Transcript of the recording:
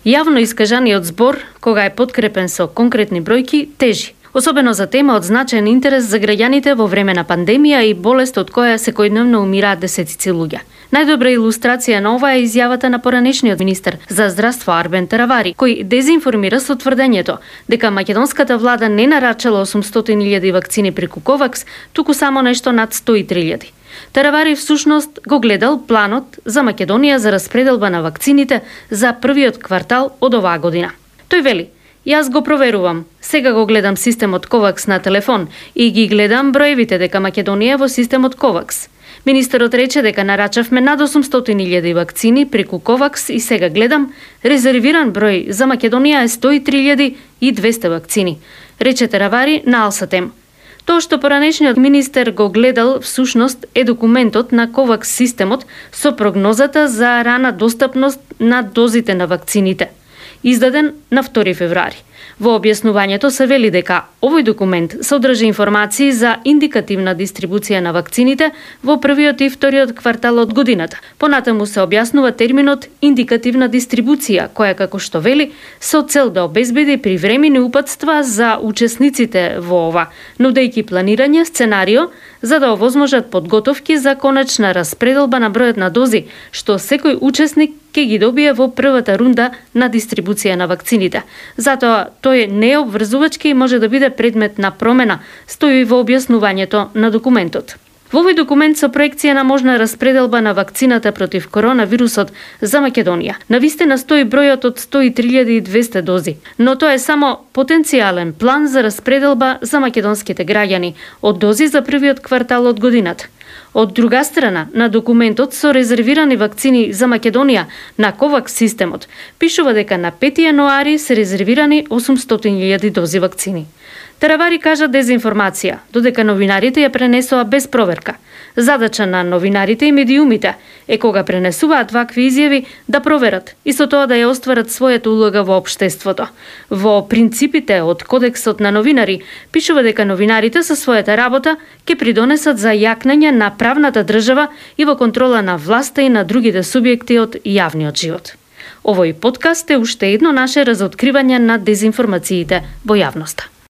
Јавно искажаниот збор, кога е подкрепен со конкретни бројки, тежи. Особено за тема од значаен интерес за граѓаните во време на пандемија и болест од која секојдневно умираат десетици луѓе. Најдобра илустрација на ова е изјавата на поранешниот министер за здравство Арбен Таравари, кој дезинформира со тврдењето дека македонската влада не нарачала 800.000 вакцини преку Ковакс, туку само нешто над 103.000. Таравари всушност го гледал планот за Македонија за распределба на вакцините за првиот квартал од оваа година. Тој вели: "Јас го проверувам. Сега го гледам системот Ковакс на телефон и ги гледам броевите дека Македонија е во системот Ковакс. Министерот рече дека нарачавме над 800.000 вакцини преку Ковакс и сега гледам, резервиран број за Македонија е 103.200 вакцини", рече Таравари на Алсатем. Тоа што поранешниот министер го гледал всушност е документот на Ковакс системот со прогнозата за рана достапност на дозите на вакцините, издаден на 2 февруари. Во објаснувањето се вели дека овој документ содржи информации за индикативна дистрибуција на вакцините во првиот и вториот квартал од годината. Понатаму се објаснува терминот индикативна дистрибуција, која, како што вели, со цел да обезбеди привремени упатства за учесниците во ова, нудејќи планирање сценарио за да овозможат подготовки за конечна распределба на бројот на дози, што секој учесник ќе ги добие во првата рунда на дистрибуција на вакцините. Затоа тој не е обврзувачки и може да биде предмет на промена, стои во објаснувањето на документот. Во овој документ со проекција на можна распределба на вакцината против коронавирусот за Македонија, навистина стои бројот од 103.200 дози, но тоа е само потенцијален план за распределба за македонските граѓани од дози за првиот квартал од годината. Од друга страна, на документот со резервирани вакцини за Македонија на Ковакс системот пишува дека на 5 јануари се резервирани 800.000 дози вакцини. Таравари кажа дезинформација, додека новинарите ја пренесоа без проверка. Задача на новинарите и медиумите е кога пренесуваат вакви изјави да проверат и со тоа да ја остварат својата улога во општеството. Во принципите од Кодексот на новинари пишува дека новинарите со својата работа ќе придонесат за јакнење на правната држава и во контрола на власта и на другите субјекти од јавниот живот. Овој подкаст е уште едно наше разоткривање на дезинформациите во јавноста.